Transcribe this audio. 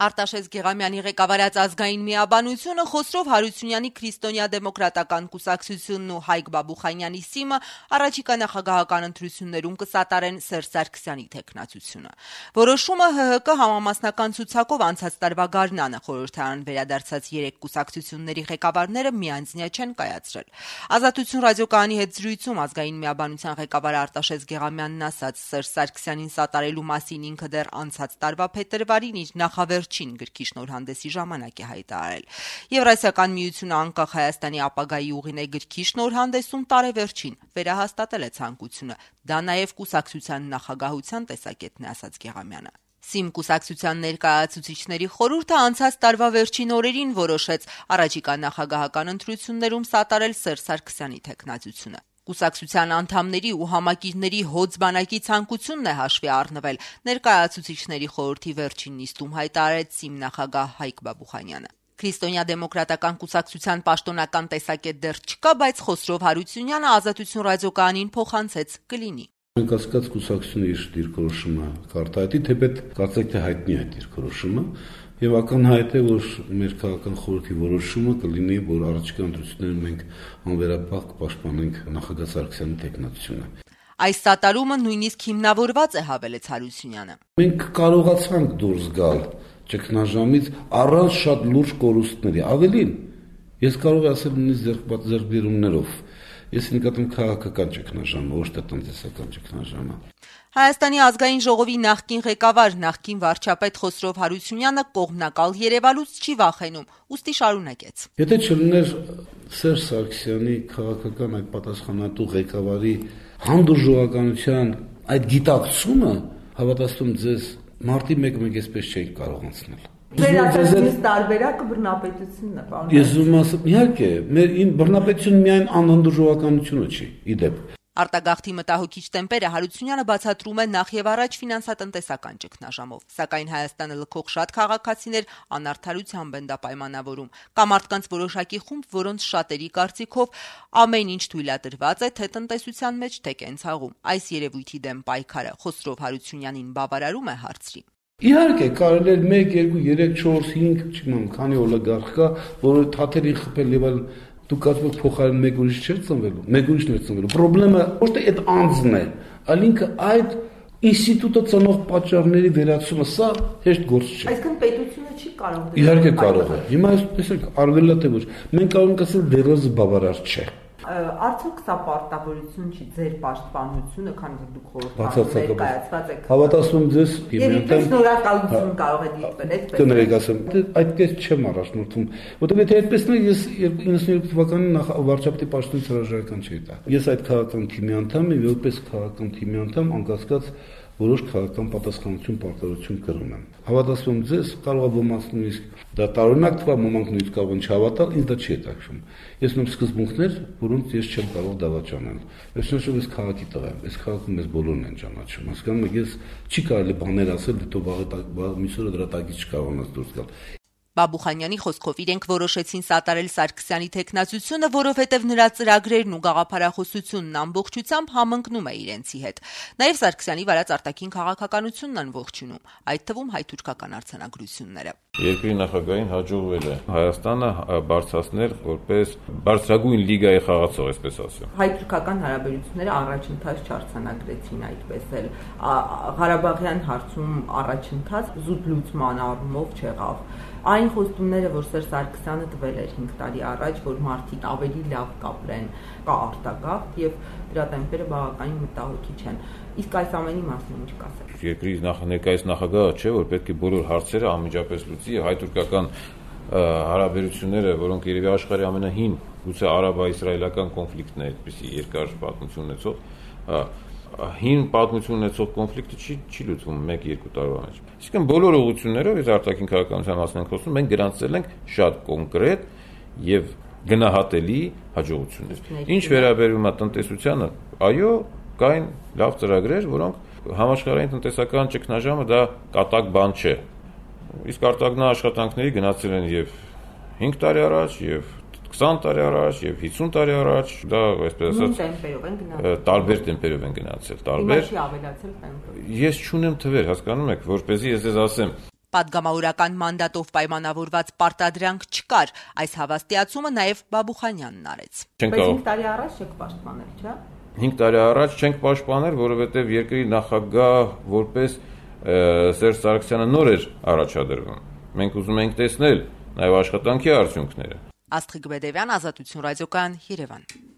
Արտաշես Գեղամյանի ղեկավարած ազգային միաբանությունը Խոսրով Հարությունյանի քրիստոնյա դեմոկրատական կուսակցությունն ու Հայկ Բաբուխանյանի ՍԻՄ-ը առաջիկա նախագահական ընտրություններում կսատարեն Սերժ Սարգսյանի թեկնածությունը։ Որոշումը ՀՀԿ համամասնական ցուցակով անցած տարվա գարնանը խորհրդարան վերադարձած 3 կուսակցությունների ղեկավարները միանձնյա չեն կայացրել։ Ազատություն ռադիոկայանի հետ զրույցում ազգային միաբանության ղեկավար Արտաշես Գեղամյանն ասաց, Սերժ Սարգսյանին սատարելու մասին ինքը դեռ անցած տարվա փետրվարին իր նախավերջին գրքի շնորհանդեսի ժամանակ է հայտարարել։ Եվրասիական միությունը անկախ Հայաստանի ապագայի ուղին է գրքի շնորհանդեսում տարեվերջին վերահաստատել է ցանկությունը։ Դա նաև կուսակցության նախագահության տեսակետն է, ասաց Գեղամյանը։ ՍԻՄ կուսակցության ներկայացուցիչների խորհուրդը անցած տարվա վերջին օրերին որոշեց առաջիկա նախագահական ընտրություններում սատարել Սերժ Սարգսյանի թեկնածությունը։ Կուսակցության անդամների ու համակիրների հոծ բանակի ցանկությունն է հաշվի առնվել ներկայացուցիչների խորհրդի վերջին նիստում հայտարարեց ՍԻՄ նախագահ Հայկ Բաբուխանյանը։ Քրիստոնյա դեմոկրատական կուսակցության պաշտոնական տեսակետ դեռ չկա, բայց Խոսրով Հարությունյանը Ազատություն ռադիոկայանին փոխանցեց կլինի։ Կասկած կուսակցությունը իր դիրքորոշումը կարտահայտի, թեպետ կարծեք թե հայտնի է դիրքորոշումը, եւ ակնհայտ է, որ մեր քաղաքական խորհրդի որոշումը կլինի, որ առաջիկա ընտրություններում մենք անվերապահ կպաշտպանենք նախագահ Սարգսյանի թեկնածությունը։ Այս սատարումը նույնիսկ հիմնավորված է, հավելեց Հարությունյանը։ Մենք կարողացանք դուրս գալ ճգնաժամից առանց շատ լուրջ կորուստների։ Ավելին, ես կարող եմ ասել նույնիսկ ձեռքբերումներով։ Ես նկատում քաղաքական ճգնաժամը, ոչ թե տնտեսական ճգնաժամը։ Հայաստանի ազգային ժողովի նախկին ղեկավար, նախկին վարչապետ Խոսրով Հարությունյանը կողմնակալ երևալուց չի վախենում, ուստի շարունակեց։ Եթե չլիներ Սերժ Սարգսյանի քաղաքական այդ պատասխանատու ղեկավարի հանդուրժողականության այդ գիտակցումը, հավատացում ձեզ, մարտի 1-1 այսպես չէի կարող անցնել։ Ձեր տարբերակը բռնապետությունն է, պարոն։ Ես ուզում ասեմ, իհարկե, իմ բռնապետությունը միայն անհանդուրժողականությունը չի, իդեպ։ Արտագաղթի մտահոգիչ տեմպերը Հարությունյանը բացատրում է նախ եւ առաջ ֆինանսատնտեսական ճգնաժամով, սակայն Հայաստանը լքող շատ քաղաքացիներ անարդարությամբ են դա պայմանավորում։ Կա մարդկանց որոշակի խումբ, որոնց շատերի կարծիքով ամեն ինչ թույլատրված է թե տնտեսության մեջ, թե կենցաղում։ Այս երևույթի դեմ պայքարը Խոսրով Հարությունյանին բավարարում է հարցրի։ Իհարկե, կարելի է 1, 2, 3, 4, 5, չգիտեմ, քանի օլիգարխ կա, որը թաթերին խփել եւ այլ դուք կարծում եք փոխարեն մեկ ուրիշ չէր ծնվելու, մեկ ուրիշն էր ծնվելու։ Պրոբլեմը ոչ թե այդ անձն է, այլ ինքը այդ ինստիտուտը ծնող պատճառների վերացումը, սա հեշտ գործ չէ։ Այսինքն պետությունը չի կարող։ Իհարկե կարող է։ Հիմա տեսեք, արվելա թե ոչ։ Մենք կարող ենք ասել դեռևս բավարար չէ։ Արդյոք սա պարտավորություն չի ձեր պաշտպանությունը, քանի որ դուք խորհրդարանում ներկայացված եք։ Հավատացում ձեզ, Եվ շնորհակալություն կարող է դիտվել, այդպես։ Կներեք ասեմ, այդպես չեմ առաջնորդում, որովհետև եթե այդպես լինի, ես 92 թվականին վարչապետի պաշտոնից հրաժարական չէի տա։ Ես այդ քաղաքական թիմի անդամ եմ, որպես քաղաքական թիմի անդամ անկասկած որոշ քաղաքական պատասխանատվություն պարտավորություն կրում եմ։ Հավատացում ձեզ, կարող է ոմանց նույնիսկ դա տարօրինակ թվա, ոմանք նույնիսկ կարող են չհավատալ, ինձ դա չի հետաքրքրում։ Ես ունեմ սկզբունքներ, որոնց ես չեմ կարող դավաճանել։ Վերջնաշուտ ես քաղաքի տղա եմ, այս քաղաքում մեզ բոլորն են ճանաչում։ Հասկանում եք, ես չի կարելի բաներ ասել, դու միսօրը դրա տակից չկարողանաս դուրս գալ։ Բաբուխանյանի խոսքով իրենք որոշեցին սատարել Սարգսյանի թեկնածությունը, որովհետև նրա ծրագրերն ու գաղափարախոսությունն ամբողջությամբ համընկնում է իրենցի հետ։ Նաև Սարգսյանի վարած արտաքին քաղաքականությունն են ողջունում, այդ թվում հայ-թուրքական արձանագրությունները։ Երկրի նախագահին հաջողվել է Հայաստանը բարձրացնել որպես բարձրագույն լիգայի խաղացող, այսպես ասեմ։ Հայ-թուրքական հարաբերությունները առաջընթաց չարձանագրեցին այդպես էլ։ Ղարաբաղյան հարցում առաջընթաց զուտ լուծման առումով չեղավ։ Այն խոստումները, որ Սերժ Սարգսյանը տվել էր 5 տարի առաջ, որ մարդիկ ավելի լավ կապրեն, կա արտագաղթ եւ դրա տեմպերը բավականին մտահոգիչ են։ Իսկ այս ամենի մասին ինչ կասեք։ Երկրի ներկայիս նախագահը չէ, որ պետք է բոլոր հարցերը անմիջապես լուծի, հայ-թուրքական հարաբերությունները, որոնք երևի աշխարհի ամենահին, գուցե արաբա-իսրայելական կոնֆլիկտն է, այդպիսի երկար պատմություն ունեցող, հին պատմություն ունեցող կոնֆլիկտը չի լուծվում 1-2 տարվա մեջ։ Իսկն բոլոր ուղղություններով ես արտաքին քաղաքականության մասին ենք խոսում, մենք գրանցել ենք շատ կոնկրետ եւ գնահատելի հաջողություններ։ Ինչ վերաբերում է տնտեսությանը, այո, կային լավ ծրագրեր, որոնք համաշխարհային տնտեսական ճգնաժամը դա կատակ բան չէ։ Իսկ արտագնա աշխատանքների գնացել են եւ 5 տարի առաջ, եւ 20 տարի առաջ եւ 50 տարի առաջ, դա այսպես ասած տարբեր տեմպերով են գնացել, տարբեր։ Չի ավելացել տեմպը։ Ես չունեմ թվեր, հասկանում եք, որպեսզի ես ձեզ ասեմ, Պատգամավորական մանդատով պայմանավորված պարտադրանք չկար, այս հավաստիացումը նաև Բաբուխանյանն արեց։ Բայց 5 տարի առաջ չեք պաշտպանել, չէ՞։ 5 տարի առաջ չենք պաշտպանել, որովհետև երկրի նախագահ որպես Սերժ Սարգսյանը նոր էր առաջադրվում։ Մենք ուզում ենք տեսնել նաև աշխատանքի արդյունքները։ Աստղիկ Բեդևյան, Ազատություն ռադիոկայան, Երևան։